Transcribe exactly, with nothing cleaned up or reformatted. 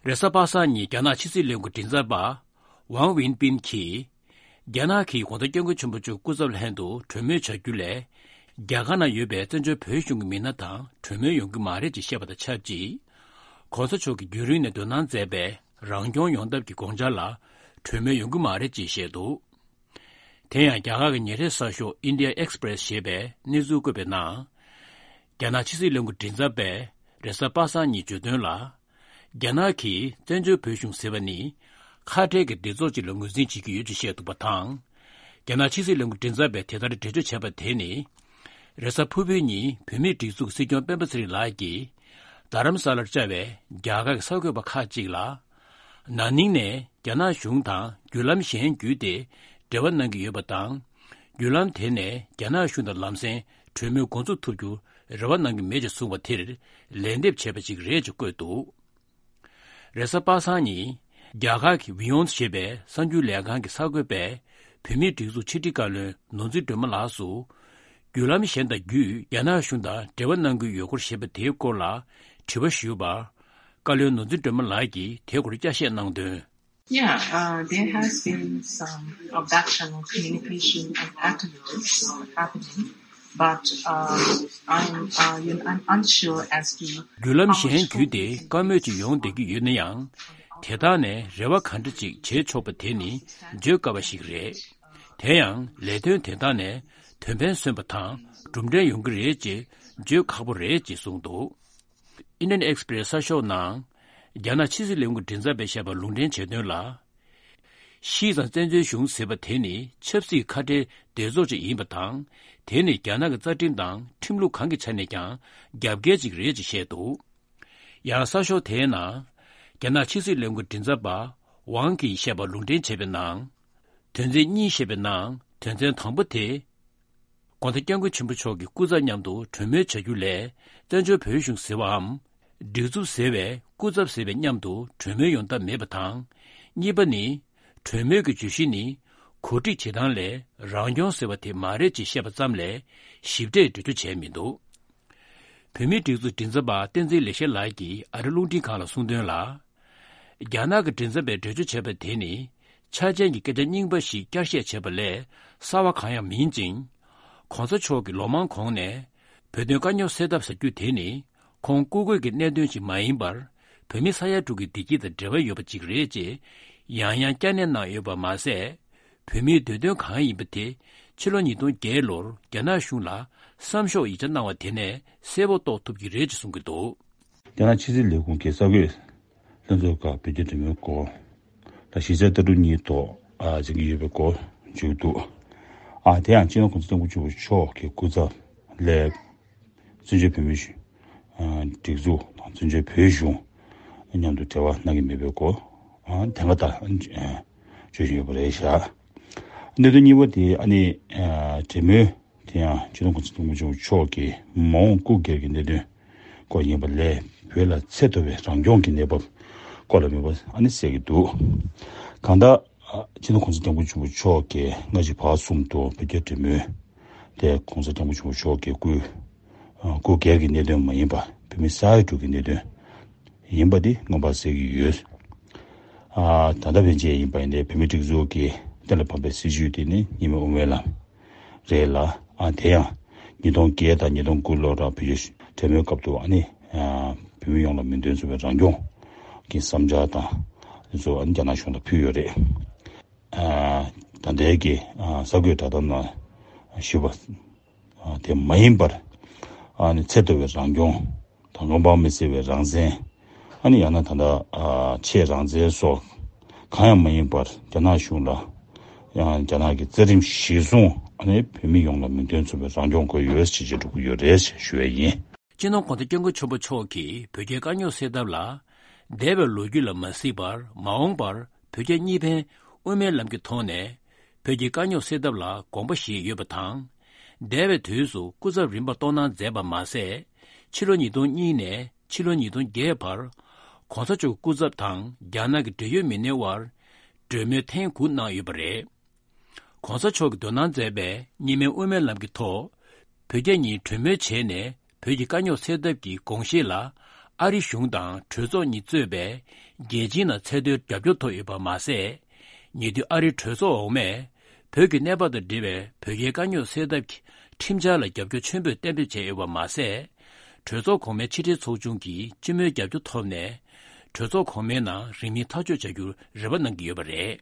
རེས་གཟའ་པ་སངས་ཉིན་རྒྱ་ནག་ཕྱི་སྲིད་ལས་ཁུངས་མགྲིན་ཚབ་པ་ཝང་ཝིན་པིན་གྱིས། རྒྱ་ནག་གིས་གོང་ས་སྐྱབས་མགོན་ཆེན་པོ་མཆོག་སྐུ་ཚབ་ལྷན་དུ་གྲོས་མོལ་བྱ་རྒྱུ་ལས། རྒྱ་གར་ནང་ཡོད་པའི་བཙན་བྱོལ་བོད་གཞུང་གི་མི་སྣ་དང་གྲོས་མོལ་ཡོང་གི་མ་རེད་ཅེས་བཤད་པ་དང་ཆབས་ཅིག་གོང་ས་མཆོག་གིས་རྒྱུན་རིང་ནས་འདོན་གནང་མཛད་པའི་རང་སྐྱོང་ཡོང་ཐབས་ཀྱི་དགོངས་འཆར་ལ་གྲོས་མོལ་ཡོང་གི་མ་རེད་ཅེས་བཤད་འདུག་དེ་ཡང་རྒྱ་གར་གྱི་ཉིན་རེའི་གསར་ཤོག་India Express ཞེས་པས་གནས་ཚུལ་བཀོད་པའི་ནང་། རྒྱ་ནག་ཕྱི་སྲིད་ལས་ཁུངས་མགྲིན་ཚབ་པས་རེས་གཟའ་པ་སངས་ཉིན་བརྗོད་དོན་ལ། རྒྱ་ནག་གིས་བཙན་བྱོལ་བོད་གཞུང་ཟེར་བ་ནི་ཁ་བྲལ་གྱི་སྡེ་ཚོགས་ཅིག་ལ་ངོས་འཛིན་བྱེད་ཀྱི་ཡོད་ཅེས་བཤད་འདུག་པ་དང་། རྒྱ་ནག་ཕྱི་སྲིད་ལས་ཁུངས་མགྲིན་ཚབ་པས་དེ་ལྟར་འགྲེལ་བརྗོད་བྱས་པ་དེ་ནི། རེས་གཟའ་ཕུར་བུའི་ཉིན་བོད་མིའི་སྒྲིག་འཛུགས་སྲིད་སྐྱོང་སྤེན་པ་ཚེ་རིང་ལགས་ཀྱིས་རྡ་རམ་ས་ལར་བཅར་བའི་རྒྱ་གར་གྱི་གསར་འགོད་པ་ཁག་ཅིག་ལ། ན་ནིང་ནས་རྒྱ་ནག་གཞུང་དང་བརྒྱུད་ལམ་གཞན་བརྒྱུད་དེ་འབྲེལ་བ་གནང་གི་ཡོད་པ་དང་། བརྒྱུད་ལམ་དེ་ནས་རྒྱ་ནག་གཞུང་དང་ལམ་སེང་གྲོས་མོལ་འགོ་འཛུགས་ཐུབ་རྒྱུར་རེ་བ་གནང་གི་མེད་ཅེས་གསུངས་པ་དེར་ལན་འདེབས་བྱས་པ་ཞིག་རེད་ཅེས་བཀོད་འདུག་རེས་གཟའ་པ་སངས་ཉིན་རྒྱ་གར་གྱི་ཝི་ཡོན་ཞེས་པའི་གསར་འགྱུར་ལས་ཁང་གི་གསར་འགོད་པས་བོད་མིའི་སྒྲིག་འཛུགས་ཕྱི་དྲིལ་བཀའ་བློན་ནོར་འཛིན་སྒྲོལ་མ་ལགས་སུ། བརྒྱུད་ལམ་གཞན་དང་བརྒྱུད་རྒྱ་ནག་གཞུང་དང་འབྲེལ་བ་གནང་གི་ཡོད་སྐོར་ཞེས་པ་དེའི་སྐོར་ལ་དྲི་བ་ཞུས་པར། བཀའ་བློན་ནོར་འཛིན་སྒྲོལ་མ་ལགས་ཀྱིས་དེའི་སྐོར་བསྐྱར་བཤད་གནང་དོན། Yeah, uh, there has been some abduction, communication and acknowledge happening, but uh, I'm, uh, you know, I'm unsure as to བརྒྱུད་ལམ་གཞན་བརྒྱུད་དེ་བཀའ་མོལ་ཅིག་ཡོང་བསྡད་ཀྱི་ཡོད་ན་ཡང་། དེ་དག་ནས་རེ་བ་ག་འདྲ་ཅིག་བྱེད་ཆོག་པ་དེ་ནི་བརྗོད་དཀའ་བ་ཞིག་རེད། དེ་ཡང་ལས་དོན་དེ་དག་ནས་དོན་ཕན་སོན་པ་དང་གྲུབ་འབྲས་ཡོང་གི་རེད་ཅེས་བརྗོད་ཁག་པོ་རེད་ཅེས་གསུངས་འདུག Indian Express་གསར་ཤོག་ནང་རྒྱ་ནག་ཕྱི་སྲིད་ལས་ཁུངས་མགྲིན་ཚབ་པས་བཤད་པ་ལུང་འདྲེན་བྱས་དོན་ལ། ཤི་ཙང་བཙན་བྱོལ་གཞུང་ཟེར་བ་དེ་ནི་ཆབ་སྲིད་ཁ་བྲལ་སྡེ་ཚོགས་ཅིག་ཡིན་པ་དང་། དེ་ནི་རྒྱ་ནག་གི་རྩ་ཁྲིམས་དང་ཁྲིམས་ལུགས་གང་གི་ཆ་ནས་ཀྱང་རྒྱབ་འགལ་ཅིག་རེད་ཅེས་བཤད་འདུག་ཡང་གསར་ཤོག་དེའི་ནང་། རྒྱ་ནག་ཕྱི་སྲིད་ལས་ཁུངས་མགྲིན་ཚབ་པ་ཝང་གིས་བཤད་པ་ལུང་འདྲེན་བྱས་པའི་ནང་། དོན་ཚན་གཉིས་བཤད་པའི་ནང་དོན་ཚན་དང་པོ་དེ། གོང་ས་སྐྱབས་མགོན་ཆེན་པོ་མཆོག་གི་སྐུ་ཚབ་མཉམ་དུ་གྲོས་མོལ་བྱ་རྒྱུ་ལས་བཙན་བྱོལ་བོད་གཞུང་ཟེར་བའམ། སྒྲིག་འཛུགས་ཟེར་བས་སྐུ་ཚབ་ཟེར་བའི་མཉམ་དུ་གྲོས་མོལ་ཡོང་ཐབས་མེད་པ་དང་། གཉིས་པ་ནི། གྲོས་མོལ་གྱི་བརྗོད་གཞི་ནི་གོ་སྒྲིག་བྱེད་སྟངས་ལས་རང་སྐྱོང་ཟེར་བ་དེ་མ་རེད་ཅེས་བཤད་པ་ཙམ་ལས་ཞིབ་ཕྲའི་འགྲེལ་བརྗོད་བྱས་མི་འདུག་བོད་མིའི་སྒྲིག་འཛུགས་མགྲིན་ཚབ་པ་བསྟན་འཛིན་ལེགས་བཤད་ལགས་ཀྱིས་ཨ་རི་རླུང་འཕྲིན་ཁང་ལ་གསུངས་དོན་ལ། རྒྱ་ནག་གི་མགྲིན་ཚབ་པས་འགྲེལ་བརྗོད་བྱས་པ་དེ་ནི་ཆ་རྐྱེན་གྱི་སྐད་ཆ་རྙིང་པ་ཞིག་བསྐྱར་བཤད་བྱས་པ་ལས་གསར་བ་གང་ཡང་མིན་ཅིང་། གོང་ས་མཆོག་གིས་ལོ་མང་གོང་ནས་བོད་དོན་དཀའ་རྙོག་སེལ་ཐབས་ཟེར་རྒྱུ་དེ་ནི་ཁོང་སྐུ་སྒེར་གྱི་གནད་དོན་ཞིག་མ་ཡིན་པར་བོད་མི་ས་ཡ་དྲུག་གི་བདེ་སྐྱིད་དང་འབྲེལ་བ་ཡོད་པ་ཅིག་རེད་ཅེས་ཡང་ཡང་བསྐྱར་ནན་གནང་ཡོད་པ་མ་ཟད། བོད་མིའི་འདོད་དོན་གང་ཡིན་པ་དེ་ཕྱི་ལོ་ཉིས་སྟོང་བརྒྱད་ལོར་རྒྱ་ནག་གཞུང་ལ་བསམ་ཤོག་ཡིག་ཆ་གནང་བ་དེ་ནས་གསལ་པོ་རྟོགས་ཐུབ་ཀྱི་རེད་ཅེས་གསུང་གི་འདུག་རྒྱ་ནག་ཕྱི་སྲིད་ལས་ཁུངས་ཀྱི་གསར་འགོད་ལྷན་ཚོགས་ཁག་བོད་རྒྱ་འབྲེལ་མོལ་སྐོར་ལ་གཞི་རྩའི་ལྟ་གྲུབ་གཉིས་ཐོག་ཨ་བྱེད་ཀྱི་ཡོད་པའི་སྐོར་བརྗོད་འདུག་ཨ་དེ་ཡང་སྤྱི་ནོར་གོང་ས་སྐྱབས་མགོན་ཆེན་པོ་མཆོག་གི་སྐུ་ཚབ་ལས། བཙན་བྱོལ་བོད་མིའི་གཞུང་། ཨ་སྒྲིག་འཛུགས་དང་བཙན་བྱོལ་བོད་གཞུང་མཉམ་དུ་འབྲེལ་བ་གནང་གི་མེད་པའི་སྐོར་ཨ་དེ་སྔ་ལྟར་ཨ་བརྗོད་བཞིན་ཡོད་པ་རེད་བཞག་གནད་དོན་གཉིས་པ་དེ་ཨ་ནི་ཨ་འབྲེལ་མོལ་དེ་ཡང་སྤྱི་ནོར་གོང་ས་སྐྱབས་མགོན་ཆེན་པོ་མཆོག་གི་མ་འོངས་སྐུ་སྒེར་གྱི་གནད་དོན་སྐོར་ཡིན་པ་ལས་བོད་ལ་ཚད་མཐོ་བའི་རང་སྐྱོང་གི་གནས་བབ་སྐོར་ལ་མེད་པ་ཨ་ནི་གསལ་གྱི་འདུག་གང་ལྟར། སྤྱི་ནོར་གོང་ས་སྐྱབས་མགོན་ཆེན་པོ་མཆོག་གིས་སྔ་ཕྱི་བར་གསུམ་དུ་བོད་རྒྱ་འབྲེལ་མོལ་དེ་གོང་ས་སྐྱབས་མགོན་ཆེན་པོ་མཆོག་གི་སྐུའི་སྐུ་སྒེར་གྱི་གནད་དོན་མ་ཡིན་པ་བོད་མི་ས་ཡ་དྲུག་གི་གནད་དོན་ཡིན་པ་དེ་མངོན་པར་གསལ་གྱི་ཡོད། ད་ལྟ་ཕན་ཆད་ཡིན་པ་ཡིན་ནའི་བོད་མི་སྒྲིག་འཛུགས་ཀྱི་གཏན་ལ་ཕབ་པའི་སྲིད་བྱུས་དེ་ནི་ཉི་མའི་དབུ་མའི་ལམ་རེད་ལ། ཨ་དེ་ཡང་ཉིས་སྟོང་བརྒྱད་དང་ཉིས་སྟོང་དགུ་ལོར་བོད་རྒྱ་འབྲེལ་མོལ་སྐབས་དུ་ཨ་ནི་བོད་མི་ཡོངས་ལ་མིང་དོན་མཚུངས་པའི་རང་སྐྱོང་གི་བསམ་འཆར་དང་དེ་ཚོ་ཨ་ནི་རྒྱ་ནག་གཞུང་ལ་ཕུལ་ཡོད་རེད། ཨ་ད་ལྟའི་གི་ཨ་གསར་འགོད་བསྒྲགས་གཏམ་ནང་ཞུས་པ་ཨ་དེ་མ་ཡིན་པར་ཨ་ནི་ཚད་མཐོ་བའི་རང་སྐྱོང་དང་མངོན་པ་མི་གསལ་བའི་རང་བཙན། ཨ་ནི་ཡང་ན་ད་ལྟ་ཨ་ཆེས་རང་བཙན་སོགས་གང་ཡང་མ་ཡིན་པར་རྒྱ་ནག་གཞུང་ལ་ཡང་རྒྱ་ནག་གི་རྩ་ཁྲིམས་གཞིར་བཟུང་ཨ་ནི་བོད་མི་ཡོངས་ལ་མིང་དོན་མཚུངས་པའི་རང་སྐྱོང་དགོས་ཡོད་ཅེས་བརྗོད་འགྲོ་གི་ཡོད་རེད་ཞེས་ཞུ་བ་ཡིན། སྤྱི་ནོར་གོང་ས་སྐྱབས་མགོན་ཆེན་པོ་མཆོག་གིས་བོད་རྒྱའི་དཀའ་རྙོག་སེལ་ཐབས་ལ་འདས་པའི་ལོ་རྒྱུས་ལ་མ་གཟིགས་པར་མ་འོངས་པར་བོད་རྒྱ་གཉིས་ཕན་དབུ་མའི་ལམ་གྱི་ཐོག་ནས་བོད་ཀྱི་དཀའ་རྙོག་སེལ་ཐབས་ལ་དགོངས་པ་བཞེས་ཡོད་པ་དང་། འདས་པའི་དུས་སུ་སྐུ་ཚབ་རིམ་པ་གཏོང་གནང་མཛད་པ་མ་ཟད། ཕྱི་ལོ་ཉིས་སྟོང་གཉིས་ནས་ཕྱི་ལོ་ཉིས་སྟོང་བརྒྱད་བར་གོང་ས་མཆོག་སྐུ་ཚབ་དང་རྒྱ་ནག་གི་འབྲེལ་ཡོད་མི་སྣའི་དབར་གྲོས་མོལ་ཐེངས་དགུ་གནང་ཡོད་པ་རེད། གོང་ས་མཆོག་གིས་དོ་སྣང་མཛད་པའི་གཉིས་སྨན་དབུ་མའི་ལམ་གྱི་ཐོག་བོད་རྒྱ་གཉིས་གྲོས་མོལ་བྱས་ནས་བོད་ཀྱི་དཀའ་རྙོག་སེལ་ཐབས་ཀྱི་དགོངས་བཞེད་ལ་ ཨ་རི་གཞུང་དང་གྲོས་ཚོགས་གཉིས་གཙོས་པའི་རྒྱལ་སྤྱིའི་ནང་ཚད་མཐོའི་རྒྱབ་སྐྱོར་ཐོབ་ཡོད་པ་མ་ཟད། ཉེ་དུས་ཨ་རིའི་གྲོས་ཚོགས་འོག་མས་བོད་ཀྱི་གནས་བབ་དང་འབྲེལ་བའི་བོད་རྒྱའི་དཀའ་རྙོག་སེལ་ཐབས་ཀྱི་ཁྲིམས་འཆར་ལ་རྒྱབ་སྐྱོར་ཆེན་པོས་གཏན་འབེབས་བྱས་ཡོད་པ་མ་ཟད། གྲོས་ཚོགས་གོང་མའི་ཕྱི་དྲིལ་ཚོགས་ཆུང་གིས་སྤྱི་མོས་རྒྱབ་སྐྱོར་ཐོབ་ནས། གྲོས་ཚོགས་གོང་མའི་ནང་རིང་མིན་ཐག་གཅོད་བྱ་རྒྱུར་རེ་བ་གནང་གི་ཡོད་པ་རེད།